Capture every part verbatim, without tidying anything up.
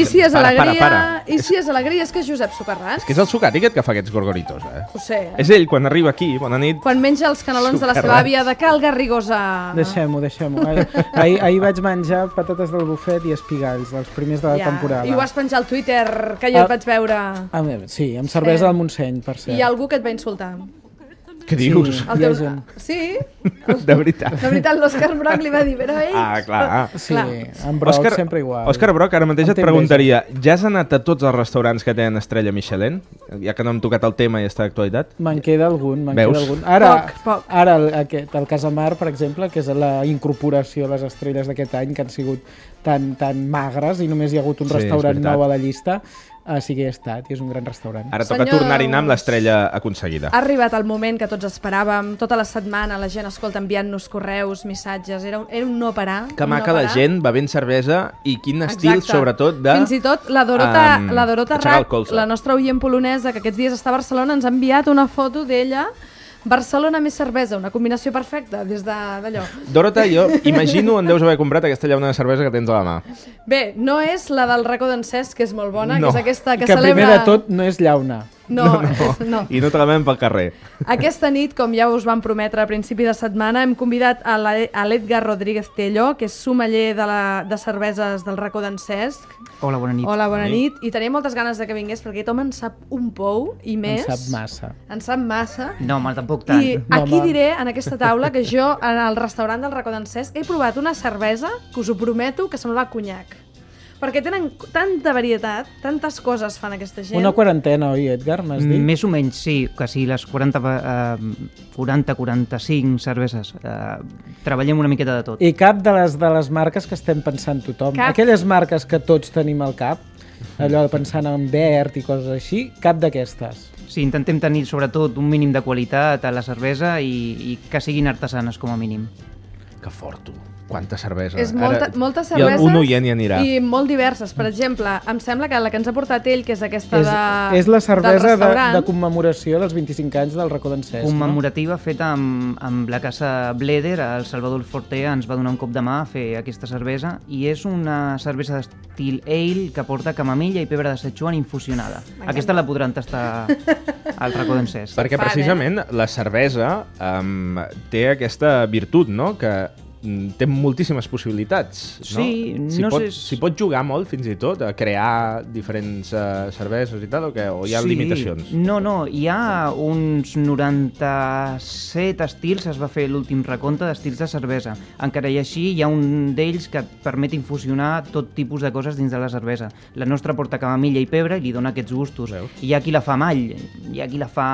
I si és para, alegria, para, para. i si és alegria, és que és Josep Socarràs. És que és el Sucati aquest que fa aquests gorgoritos, eh? Ho sé, eh? És ell, quan arriba aquí, bona nit. Quan menja els canelons de la seva àvia de Cal Garrigosa. Deixem-ho, deixem-ho. Ahir, ahir, ahir vaig menjar patates del bufet i espigalls, dels primers de la Ja, temporada. I ho vas penjar al Twitter, que jo Ah. et vaig veure. A veure, sí, amb cervesa Sí. al Montseny, per cert. I hi ha algú que et va insultar. Què dius? Sí. El Hi ha teu... gent. Sí? De veritat. De veritat, l'Òscar Brock li va dir, però ell... Ah, clar. Sí, Clar. en Broc Òscar, sempre igual. Òscar Broc, ara mateix Em et té preguntaria, ja has anat a tots els restaurants que tenen estrella Michelin? Ja que no hem tocat el tema i està d'actualitat. Me'n queda algun, me'n Veus? queda algun. Ara, Poc, poc. ara el, aquest, el Casamar, per exemple, que és la incorporació a les estrelles d'aquest any, que han sigut tan, tan magres i només hi ha hagut un Sí, és restaurant veritat. nou a la llista, uh, sí que hi he estat, i és un gran restaurant. Ara toca Senyors. tornar-hi a anar amb l'estrella aconseguida. Ha arribat el moment que tots esperàvem. Tota la setmana la gent, escolta, enviant-nos correus, missatges. Era un, era un no parar. Que un maca no la parar. gent bevent cervesa i quin estil, Exacte. sobretot, de... Fins i tot la Dorota, um, la Dorota aixecar el Rac, colze. la nostra oient polonesa, que aquests dies està a Barcelona, ens ha enviat una foto d'ella. Barcelona més cervesa, una combinació perfecta des de- d'allò. Dorota, jo imagino on deus haver comprat aquesta llauna de cervesa que tens a la mà. Bé, no és la del racó d'en Cesc, que és molt bona, No. que és aquesta que, que celebra... primer de tot no és llauna. No, és, no. I no te la veiem pel carrer. Aquesta nit, com ja us vam prometre a principi de setmana, hem convidat a la- a l'Edgar Rodríguez Tello, que és sommelier de, la, de cerveses del racó d'en Cesc. Hola, bona nit. Hola, bona Bona nit. nit. I tenia moltes ganes de que vingués, perquè aquest home en sap un pou i En més. sap massa. En sap massa. No, home, tampoc tant. I No, aquí home. diré, en aquesta taula, que jo, en el restaurant del racó d'en Cesc, he provat una cervesa, que us ho prometo, que semblava conyac. Perquè tenen tanta varietat, tantes coses fan aquesta gent. Una quarantena, oi, Edgar, m'has dit? Més o menys, sí, quasi les quaranta, quaranta quaranta-cinc cerveses. Eh, treballem una miqueta de tot. I cap de les, de les marques que estem pensant tothom. Cap. Aquelles marques que tots tenim al cap, allò pensant en verd i coses així, cap d'aquestes. Sí, intentem tenir sobretot un mínim de qualitat a la cervesa i, i que siguin artesanes com a mínim. Que fort, tu. Quanta cervesa. És molta, Ara, moltes i cerveses un oient hi anirà. i molt diverses. Per exemple, em sembla que la que ens ha portat ell, que és aquesta És, de, és la del cervesa de, restaurant, de commemoració dels vint-i-cinc anys del racó d'en Cesc, no? Commemorativa feta amb, amb la casa Bleder, el Salvador Fortea ens va donar un cop de mà a fer aquesta cervesa i és una cervesa d'estil ale que porta camamilla i pebre de Szechuan infusionada. Aquesta la podran tastar al racó d'en Cesc. Perquè Fan, eh? precisament la cervesa um, té aquesta virtut, no?, que mm, té moltíssimes possibilitats, no? Sí, S'hi no pot, sé- s'hi pot jugar molt, fins i tot, a crear diferents uh, cerveses i tal, o, que, o hi ha Sí. limitacions? No, no, hi ha uns noranta-set estils, es va fer l'últim recompte d'estils de cervesa. Encara i així hi ha un d'ells que et permet infusionar tot tipus de coses dins de la cervesa. La nostra porta camamilla i pebre i li dona aquests gustos. Veus? Hi ha qui la fa amb all, hi ha qui la fa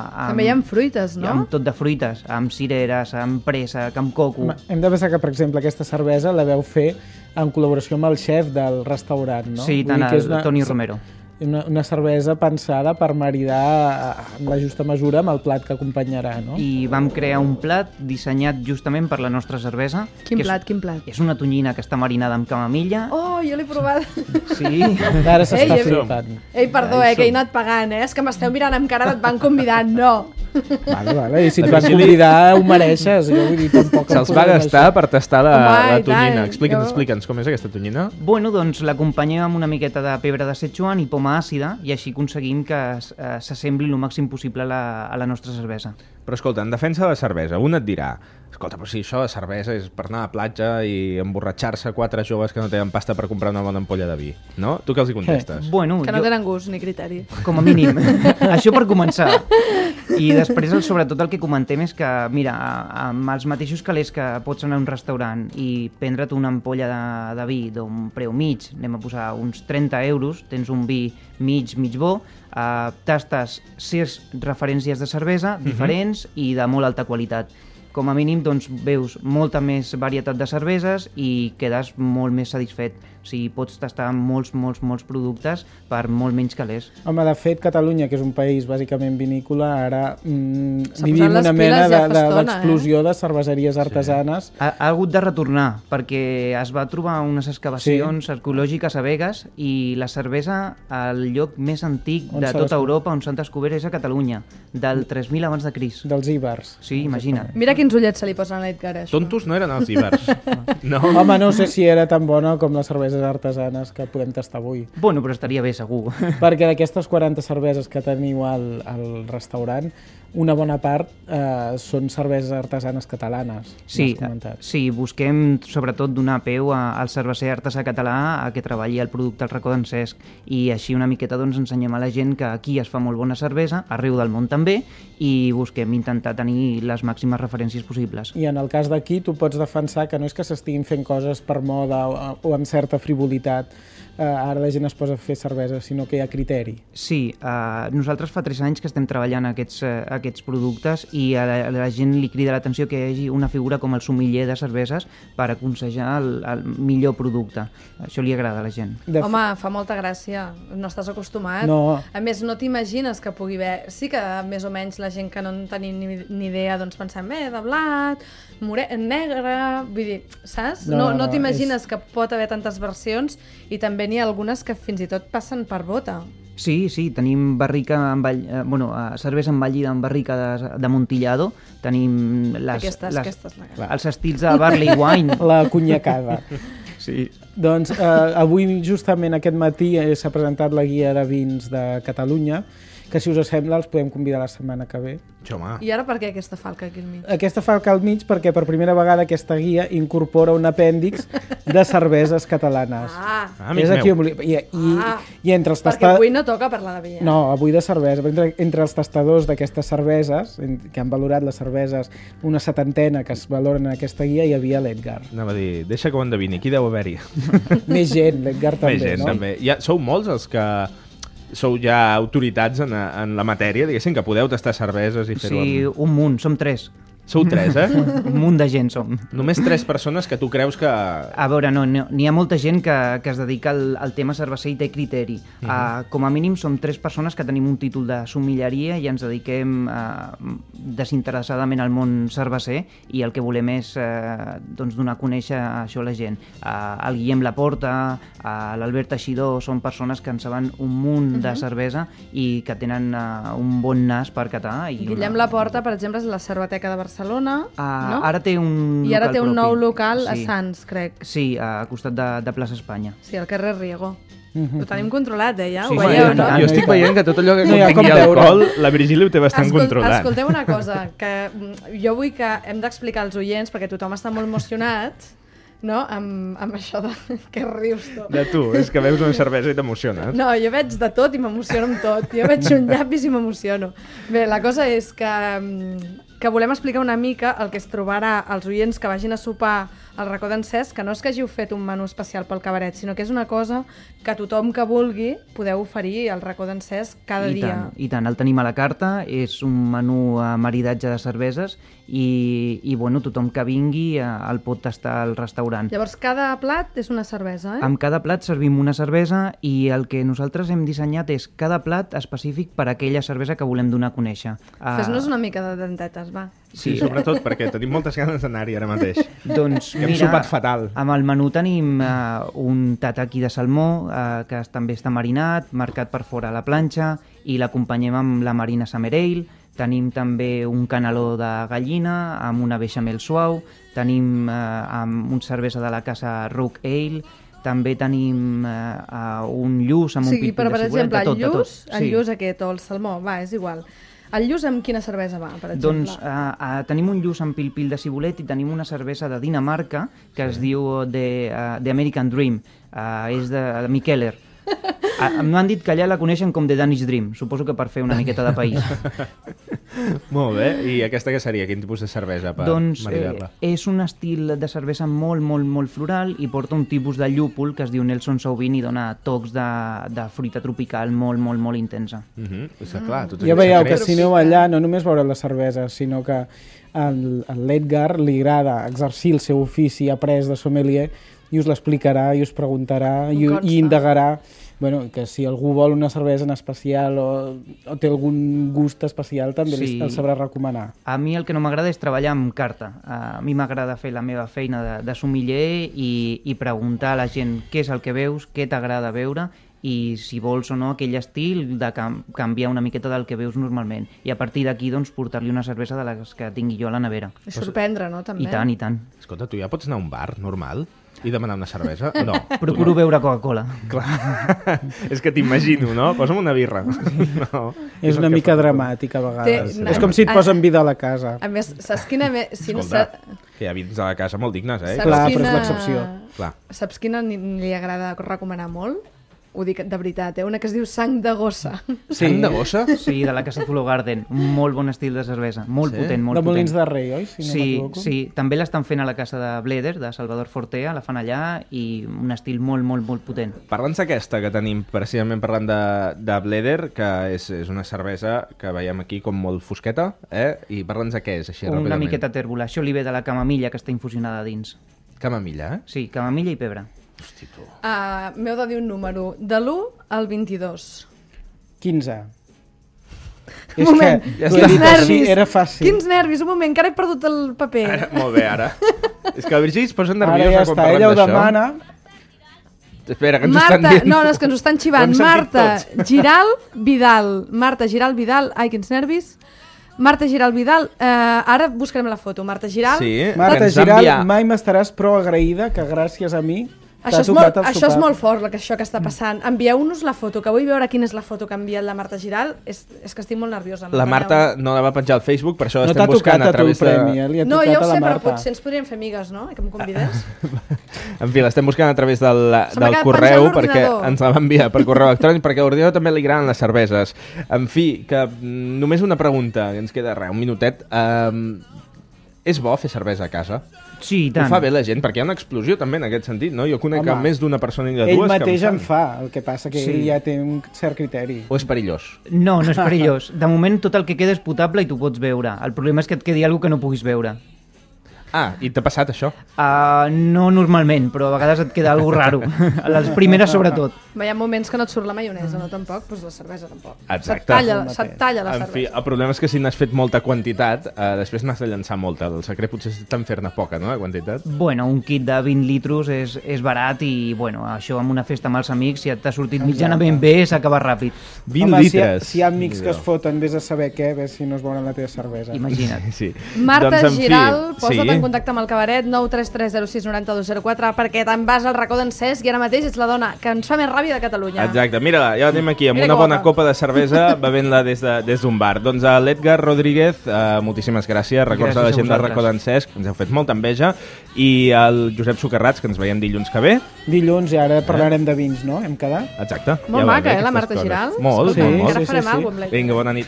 amb... també hi ha fruites, no? Amb tot de fruites, amb cireres, amb préssec, amb coco... Home, hem de pensar que, per exemple, aquesta cervesa la veu fer en col·laboració amb el xef del restaurant, no? Sí, Vull tant dir que el és una- Toni Romero. Una, una cervesa pensada per maridar en la justa mesura amb el plat que acompanyarà, no? I vam crear un plat dissenyat justament per la nostra cervesa. Quin que és- plat, quin plat? És una tonyina que està marinada amb camamilla. Oh, jo l'he provat. Sí. Ara s'està Ei, ei, flipant. Ei, perdó, eh, que he anat pagant, eh? És que m'esteu mirant amb cara et van convidant, no. Vale, vale. I si et La van Virgili- convidar, ho mereixes. Jo vull dir, tampoc em Se'ls va posem gastar això. per tastar la, Home, la i tant. tonyina. Explica'ns, Jo- explica'ns, com és aquesta tonyina? Bueno, doncs l'acompanyem amb una miqueta de pebre de Szechuan i poma àcida i així aconseguim que eh, s'assembli el màxim possible a la, a la nostra cervesa. Però escolta, en defensa de la cervesa, un et dirà, escolta, però si això de cervesa és per anar a la platja i emborratxar-se quatre joves que no tenen pasta per comprar una bona ampolla de vi, no? Tu què els hi contestes? Bueno, Que no jo, tenen gust ni criteri. com a mínim, això per començar. I després, el, sobretot, el que comentem és que, mira, amb els mateixos calés que pots anar a un restaurant i prendre't una ampolla de, de vi d'un preu mig, anem a posar uns trenta euros, tens un vi mig, mig bo, eh, tastes sis referències de cervesa diferents i de molt alta qualitat. Com a mínim, doncs, veus molta més varietat de cerveses i quedes molt més satisfet. O sigui, pots tastar molts, molts, molts productes per molt menys calés. Home, de fet, Catalunya, que és un país bàsicament vinícola, ara mm, S'ha vivim posat les una mena piles de- ja fa de- estona, d'explosió de, de cerveseries artesanes. Ha, ha hagut de retornar perquè es va trobar unes excavacions sí. arqueològiques a Begues i la cervesa al lloc més antic On de s'ha tota descobert? Europa on s'han descobert és a Catalunya, del tres mil abans de Crist. Dels íbers. Sí, imagina't. Mira quin quins ullets se li posen a l'Edgar, això. Tontos no eren els ibers. No. Home, no sé si era tan bona com les cerveses artesanes que podem tastar avui. Bueno, però estaria bé, segur. Perquè d'aquestes quaranta cerveses que teniu al, al restaurant, una bona part eh, són cerveses artesanes catalanes. Sí, sí, busquem sobretot donar peu a, al cerveser artesà català a que treballi el producte al racó d'en Cesc, i així una miqueta doncs, ensenyem a la gent que aquí es fa molt bona cervesa, arreu del món també, i busquem intentar tenir les màximes referències possibles. I en el cas d'aquí tu pots defensar que no és que s'estiguin fent coses per moda o, o amb certa frivolitat, eh, ara la gent es posa a fer cervesa, sinó que hi ha criteri. Sí, eh, nosaltres fa tres anys que estem treballant aquests, eh, aquests productes i a la, a la gent li crida l'atenció que hi hagi una figura com el sommelier de cerveses per aconsejar el, el millor producte. Això li agrada a la gent. De Home, fa molta gràcia, no estàs acostumat. No. A més, no t'imagines que pugui haver... Sí que més o menys la gent que no en tenim ni, ni idea, doncs pensem, eh, de blat, more... negre... Vull dir, saps? No, No, no, no, no, t'imagines és... que pot haver tantes versions i també n'hi ha algunes que fins i tot passen per bota. Sí, sí, tenim barrica amb all... eh, bueno, eh, cervesa envellida amb barrica de, de Montillado, tenim les, Aquestes, les, aquestes, la- els estils de barley wine. La cunyacada. Sí. Doncs eh, avui, justament aquest matí, eh, s'ha presentat la guia de vins de Catalunya, que si us sembla els podem convidar la setmana que ve. Home. I ara per què aquesta falca aquí al mig? Aquesta falca al mig perquè per primera vegada aquesta guia incorpora un apèndix de cerveses catalanes. Ah, Ah, amic És aquí meu. on volia- I, i, Ah. i entre els perquè tastadors... avui no toca parlar de vi. Eh? No, avui de cervesa. Entre, entre els tastadors d'aquestes cerveses, en- que han valorat les cerveses, una setantena que es valoren en aquesta guia, hi havia l'Edgar. Anava a dir, deixa que ho endevini, qui deu haver-hi? Més gent, l'Edgar també, Més gent, no? també. Ja, sou molts els que sou ja autoritats en, en la matèria, diguéssim, que podeu tastar cerveses i fer-ho Sí, amb... un munt, som tres. Sou tres, eh? Un munt de gent som. Només tres persones que tu creus que... A veure, no, no n'hi ha molta gent que, que es dedica al, al tema cerveser i té criteri. Uh -huh. uh, com a mínim som tres persones que tenim un títol de sommeleria i ens dediquem uh, desinteressadament al món cerveser, i el que volem és uh, doncs donar a conèixer això a la gent. Uh, el Guillem Laporta, uh, l'Albert Teixidor, són persones que en saben un munt uh -huh. de cervesa i que tenen uh, un bon nas per catar. I Guillem una... Laporta, per exemple, és la Cerveteca de Barcelona, Uh, no? Ara té un I ara local té un propi. nou local a Sí. Sants, crec. Sí, a costat de, de plaça Espanya. Sí, al carrer Riego. Ho tenim controlat, eh, ja? Sí, Ho sí, veieu, i no? tant. Jo estic veient que tot allò que No hi ha contingui com veure. alcohol, la Virgília ho té bastant Escol controlat. Escolteu una cosa, que mm, jo vull que hem d'explicar als oients, perquè tothom està molt emocionat, no?, amb, amb això de... Què rius tu? De tu, és que veus una cervesa i t'emociones. No, jo veig de tot i m'emociono amb tot. Jo veig un llapis i m'emociono. Bé, la cosa és que, mm, que volem explicar una mica el que es trobarà als oients que vagin a sopar al racó d'en Cesc, que no és que hàgiu fet un menú especial pel cabaret, sinó que és una cosa que tothom que vulgui podeu oferir al racó d'en Cesc cada I dia. tant, I tant, el tenim a la carta, és un menú a maridatge de cerveses i, i bueno, tothom que vingui eh, el pot tastar al restaurant. Llavors, cada plat és una cervesa, eh? Amb cada plat servim una cervesa i el que nosaltres hem dissenyat és cada plat específic per a aquella cervesa que volem donar a conèixer. Uh, Fes-nos una mica de dentetes, va. Sí, sobretot perquè tenim moltes ganes d'anar-hi ara mateix. Doncs Que hem mira, sopat fatal. amb el menú tenim uh, un tataki de salmó uh, que també està marinat, marcat per fora a la planxa, i l'acompanyem amb la marina Summer Ale. Tenim també un caneló de gallina amb una beixamel suau, tenim uh, amb un cervesa de la casa Rook Ale, també tenim uh, uh, un lluç amb O un sigui, pit però, de per cibulet, exemple, de tot, el de tot. lluç, el lluç aquest o el salmó, va, és igual. El lluç amb quina cervesa va, per exemple? Doncs uh, uh, tenim un lluç amb pil-pil de cibulet i tenim una cervesa de Dinamarca que es diu The, uh, The American Dream, uh, és de, de Mikkeller. Uh, M'han dit que allà la coneixen com The Danish Dream, suposo que per fer una miqueta de país. Molt bé, i aquesta què seria? Quin tipus de cervesa per Doncs eh, maridar-la? és un estil de cervesa molt, molt, molt floral i porta un tipus de llúpol que es diu Nelson Sauvin i dona tocs de, de fruita tropical molt, molt, molt intensa. Uh -huh. Està clar, tots Ja aquests veieu que secrets. si aneu allà no només veureu les cerveses, sinó que a l'Edgar li agrada exercir el seu ofici après de sommelier i us l'explicarà i us preguntarà i, Em consta. i indagarà, bueno, que si algú vol una cervesa en especial o, o té algun gust especial també Sí. sí. el sabrà recomanar. A mi el que no m'agrada és treballar amb carta. A mi m'agrada fer la meva feina de, de sommelier i, i preguntar a la gent què és el que veus, què t'agrada veure i si vols o no aquell estil de cam canviar una miqueta del que veus normalment. I a partir d'aquí doncs, portar-li una cervesa de les que tingui jo a la nevera. I sorprendre, no? També. I tant, i tant. Escolta, tu ja pots anar a un bar normal i demanar una cervesa? No. Procuro beure Coca-Cola. Clar. És que t'imagino, no? Posa'm una birra. No. És una mica dramàtic a vegades. Té- És com si et posen vida a la casa. A més, saps quina... Me... Si no, Escolta, sa... que hi ha vins a la casa molt dignes, eh? saps Clar, quina... però és l'excepció. Clar. Saps quina ni- li agrada recomanar molt? Ho dic de veritat, eh? Una que es diu sang de gossa. Sí. Sang de gossa? Sí, de la Casa Zulo Garden. Molt bon estil de cervesa. Molt Sí? potent, molt De Molins potent. de Rei, oi? Si no Sí, m'equivoco. sí, també l'estan fent a la casa de Bleder, de Salvador Fortea, la fan allà, i un estil molt, molt, molt potent. Parla'ns d'aquesta que tenim, precisament parlant de, de Bleder, que és, és una cervesa que veiem aquí com molt fosqueta, eh? I parla'ns de què és, així Una ràpidament. miqueta tèrbola. Això li ve de la camamilla que està infusionada dins. Camamilla, eh? Sí, camamilla i pebre. Hosti, tu. Uh, M'heu de dir un número, de l'u al vint-i-dos. quinze. Un moment, ja t'ho està. he quins dit així, nervis, era fàcil. quins nervis, un moment, encara he perdut el paper. Ara, molt bé, ara. És que la Virgili es posa Ara nerviosa ja quan està, parlem ella ho d'això. demana. Espera, que ens ho Marta, estan dient. no, no, és que ens ho estan Ho xivant. hem sentit Marta tots. Giral Vidal. Marta Giral Vidal. Ai, quins nervis. Marta Giral Vidal. Eh, ara buscarem la foto. Marta Giral. Sí, Marta que ens va Giral, enviar- mai m'estaràs prou agraïda que gràcies a mi Això t'ha és, molt, tocat el això és sopar. molt fort, la que, això que està passant. Envieu-nos la foto, que vull veure quina és la foto que ha enviat la Marta Giral. És, és que estic molt nerviosa. La Marta no la va penjar al Facebook, per això No estem t'ha buscant tocat a a tu el través de... premi, eh? Li ha No, tocat ja ho a la sé, però Marta. potser ens podríem fer amigues, no? Que em convidés. En fi, l'estem buscant a través del, Se m'ha del quedat correu, penjat perquè l'ordinador. ens la va enviar per correu electrònic, perquè a l'ordinador també li agraden les cerveses. En fi, que mm, només una pregunta, que ens queda res, un minutet. Um, és bo fer cervesa a casa? Sí, i Ho tant. fa bé la gent, perquè hi ha una explosió també en aquest sentit, no? Jo conec Home, més d'una persona i de Ell dues mateix que en en fan. fa, el que passa que Sí. ell ja té un cert criteri. O és perillós? No, no és perillós. De moment tot el que queda és potable i tu pots veure. El problema és que et quedi alguna que no puguis veure. Ah, i t'ha passat això? Uh, no normalment, però a vegades et queda alguna raro. A les primeres sobretot. Hi ha moments que no et surt la maionesa, no tampoc, doncs la cervesa tampoc. Exacte. Se't talla, El se't mateix. talla la En fi, cervesa. el problema és que si n'has fet molta quantitat, eh, després n'has de llançar molta. El secret potser és en fer-ne poca, no?, de quantitat. Bueno, un kit de vint litros és, és barat i, bueno, això amb una festa amb els amics, si t'ha sortit mitjanament bé, s'acaba ràpid. vint Home, si hi, ha, litres. si hi ha amics que es Déu. foten vés a saber què, ves si no es veuen la teva cervesa. Imagina't. Sí. Marta Doncs, en fi, Giral, posa't sí. en contacte amb el cabaret nou tres tres zero sis nou dos zero quatre perquè te'n vas al racó d'en Cesc i ara mateix ets la dona que ens fa més ràbia de Catalunya. Exacte, mira, ja la tenim aquí amb Mira una que bona guapa. copa de cervesa bevent-la des d'un de, des d'un bar. Doncs a l'Edgar Rodríguez, eh, moltíssimes gràcies, records Gràcies a la a gent del vosaltres. racó d'en Cesc, ens heu fet molta enveja, i al Josep Sucarrats, que ens veiem dilluns que ve. Dilluns i ara parlarem de vins, no? Hem quedat? Exacte. Molt ja va maca, bé, eh, la aquestes Marta coses. Giral? Molt, Sí, molt, molt. Encara sí, farem sí, alguna cosa amb la Vinga, bona nit.